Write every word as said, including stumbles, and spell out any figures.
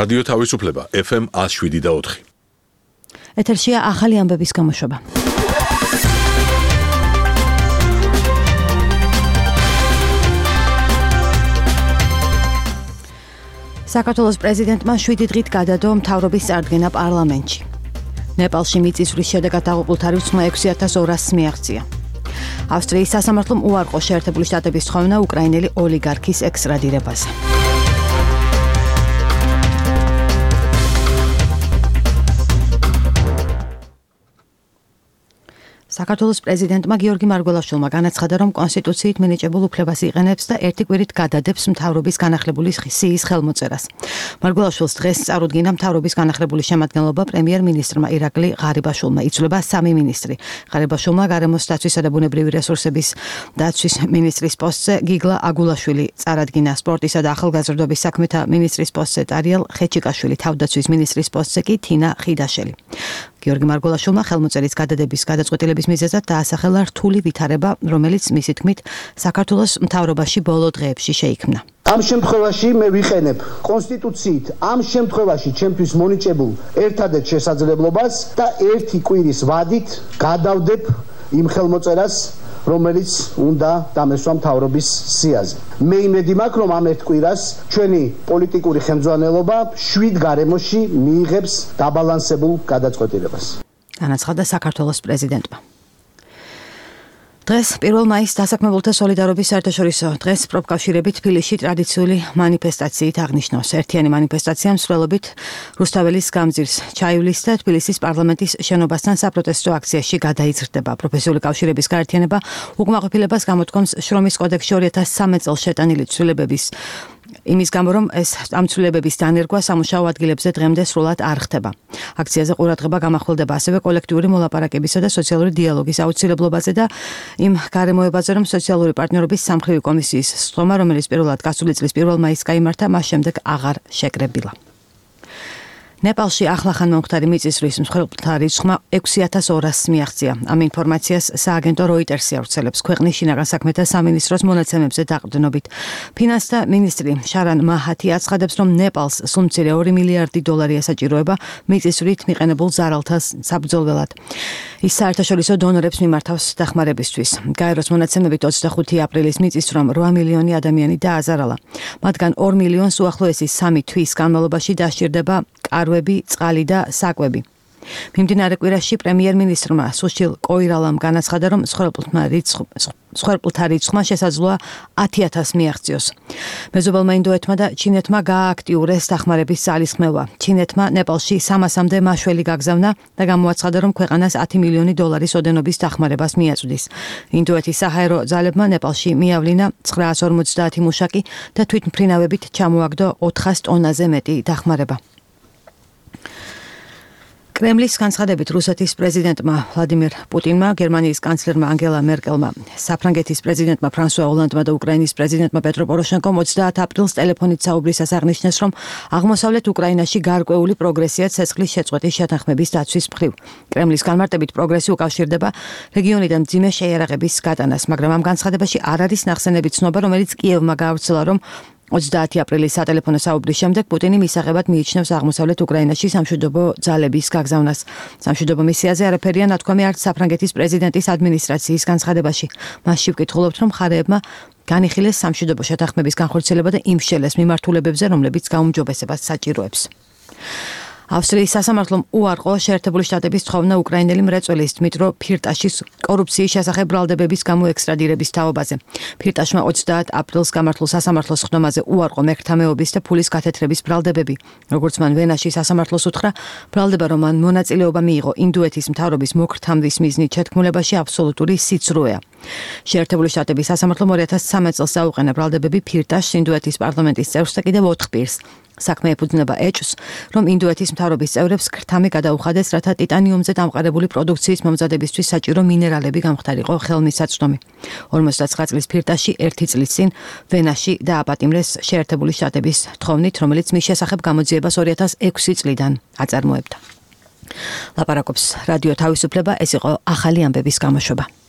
რადიო თავისუფლება ეფ ემ ათს შვიდი და ოთხი. ეთერშია ახალი ამბების გამოშვება. საქართველოს პრეზიდენტმა შვიდი დღით გადადო მთავრობის წარდგენა პარლამენტში. ნეპალში მიწისძვრის შედეგად დაღუპულთა რიცხვმა ექვსი ათას ორასს მიაღწია. ავსტრიის სასამართლომ უარყო შეერთებული შტატების თხოვნა უკრაინელი ოლიგარქის ექსტრადირებაზე. საქართველოს პრეზიდენტმა გიორგი მარგველაშვილმა განაცხადა, რომ კონსტიტუციით მინიჭებულ უფლებას იყენებს და ერთი კვირით გადადებს მთავრობის განახლებული სიის ხელმოწერას. მარგველაშვილს დღეს წარუდგინა მთავრობის განახლებული შემადგენლობა პრემიერ-მინისტრმა ირაკლი ღარიბაშვილმა. იცვლება სამი მინისტრი. ღარიბაშვილმა გარემოს დაცვისა და ბუნებრივი რესურსების დაცვის მინისტრის პოსტზე გიგლა აგულაშვილი წარადგინა. სპორტისა და ახალგაზრდობის საქმეთა მინისტრის პოსტზე ტარიელ ხეჩიკაშვილი, თავდაცვის მინისტრის პოსტზე კი თინა ხიდაშელი. გიორგი მარგველაშვილმა ხელმოწერის გადადების გადაწყვეტილების მიზეზად დაასახელა რთული ვითარება, რომელიც მისი თქმით საქართველოს მთავრობაში ბოლო დღეებში შეიქმნა. ამ შემთხვევაში მე ვიყენებ კონსტიტუციით ამ შემთხვევაში ჩემთვის მონიჭებულ ერთადერთ შესაძლებლობას და ერთი კვირის ვადით გადავდებ იმ ხელმოწერას, რომელიც უნდა დამესვა მთავრობის სიაზე. მე იმედი მაქვს, რომ ამ ერთ კვირას ჩვენი პოლიტიკური ხელმძღვანელობა შვიდ გარემოში მიიღებს დაბალანსებულ გადაწყვეტილებას. განაცხადა საქართველოს პრეზიდენტმა. დღეს პირველ მაისს დასაქმებულთა სოლიდარობის საერთაშორისო დღეს პროფკავშირები თბილისში ტრადიციული მანიფესტაციით აღნიშნავს. ერთიანი მანიფესტაცია მსვლელობით რუსთაველის გამზირს ჩაივლის და თბილისის პარლამენტის შენობასთან საპროტესტო აქციაში გადაიზრდება. პროფესიული კავშირების გაერთიანება უკმაყოფილებას გამოთქვამს შრომის კოდექსში ორი ათას სამი წელს შეტანილი ცვლილებების იმის გამო, რომ ეს ამ ცვლილებების დანერგვა სამუშაო ადგილებზე დღემდე სრულად არ ხდება. აქციაზე ყურადღება გამახვილდება ასევე კოლექტიური მოლაპარაკებისა და სოციალური დიალოგის აუცილებლობაზე და იმ გარემოებაზე, რომ სოციალური პარტნიორობის სამხრივი კომისიის სხდომა, რომელიც პირველად გასული წლის პირველ მაისს გაიმართა, მას შემდეგ აღარ შეკრებილა. ნეპალში ახლახან მომხდარი მიწისძვრის მსხვერპლთა რიცხვმა ექვსი ათას ორასს მიაღწია. ამ ინფორმაციას სააგენტო როიტერსი ავრცელებს ქვეყნის შინაგან საქმეთა სამინისტროს მონაცემებზე დაყრდნობით. ფინანსთა მინისტრი შარან მაჰათი აცხადებს, რომ ნეპალს სულ მცირე ორი მილიარდი დოლარი ესაჭიროება მიწისძვრით მიყენებულ ზარალთა საბრძოლველად. ის საერთაშორისო დონორებს მიმართავს დახმარებისთვის. გაეროს მონაცემებით ოცდახუთი აპრილის მიწისძვრამ რვა მილიონი ადამიანი დააზარალა. მათგან ორ მილიონს უახლოესი სამი თვის განმავლობაში დასჭირდება კარვები, წყალი და საკვები. მიმდინარე კვირაში პრემიერ-მინისტრმა სუშილ კოირალამ განაცხადა, რომ მსხვერპლთა რიცხვმა შესაძლოა ათი ათასს მიაღწიოს. მეზობელმა ინდოეთმა და ჩინეთმა გაააქტიურეს დახმარების ძალისხმევა. ჩინეთმა ნეპალში სამასამდე მაშველი გაგზავნა და გამოაცხადა, რომ ქვეყანას ათი მილიონი დოლარის ოდენობის დახმარებას მიაწვდის. ინდოეთის საჰაერო ძალებმა ნეპალში მიავლინა ცხრაას ორმოცდაათი მუშაკი და თვითმფრინავებით ჩამოაგდო ოთხას ტონაზე მეტი დახმარება. კრემლის განცხადებით რუსეთის პრეზიდენტმა ვლადიმირ პუტინმა, გერმანიის კანცლერმა ანგელა მერკელმა, საფრანგეთის პრეზიდენტმა ფრანსუა ოლანდმა და უკრაინის პრეზიდენტმა პეტრო პოროშენკომ ოცდაათ აპრილს ტელეფონით საუბრისას აღნიშნეს, რომ აღმოსავლეთ უკრაინაში გარკვეული პროგრესია ცეცხლის შეწყვეტის შეთანხმების დაცვის მხრივ. კრემლის განმარტებით პროგრესი უკავშირდება რეგიონიდან მძიმე შეიარაღების გატანას, მაგრამ ამ განცხადებაში არ არის ნახსენები ცნობა, რომელიც კიევმა გაავრცელა, რომ ოცდაათი აპრილის სატელეფონო საუბრის შემდეგ პუტინი მისაღებად მიიჩნევს აღმოსავლეთ უკრაინაში სამშვიდობო ძალების გაგზავნას. სამშვიდობო მისიაზე არაფერია ნათქვამი არც საფრანგეთის პრეზიდენტის ადმინისტრაციის განცხადებაში. მასში ვკითხულობთ, რომ მხარეებმა განიხილეს სამშვიდობო შეთანხმების განხორციელება და იმშელეს მიმართულებებზე, რომლებიც გაუმჯობესებას საჭიროებს. ავსტრიის სასამართლომ უარყო შეერთებული შტატების თხოვნა უკრაინელი მრეწველის დმიტრო ფირტაშის კორუფციის შესახებ ბრალდებების გამო ექსტრადირების თაობაზე. ფირტაშმა ოცდაათ აპრილს გამართულ სასამართლოს ხდომაზე უარყო მერქთამეობის და ფულის გათეთრების ბრალდებები. როგორც მან ვენაში სასამართლოს უთხრა, ბრალდება, რომ მან მონაწილეობა მიიღო ინდოეთის მთავრობის მოქრთამდის მიზნით შეთქმულებაში აბსოლუტური სიცრუეა. შეერთებული შტატების სასამართლომ ორი ათას სამი წელს აუყენა ბრალდებები ფირტაშს ინდოეთის პარლამენტის წევრს და კიდევ ოთხ პირს. საქმე ეფუძნება ეჭვს, რომ ინდოეთის მთავრობის წევრებს ქრთამი გადაუხადეს, რათა ტიტანიუმზე დამყარებული პროდუქციის მომზადებისთვის საჭირო მინერალები გამხდარიყო ხელმისაწვდომი. ორმოცდაცხრა წლის ფირტაში ერთი წლის წინ ვენაში დააპატიმრეს შეერთებული შტატების თხოვნით, რომელიც მის შესახებ გამოძიებას ორი ათას ექვსი წლიდან აწარმოებდა. ლაპარაკობს რადიო თავისუფლება, ეს იყო ახალი ამბების გამოშვება.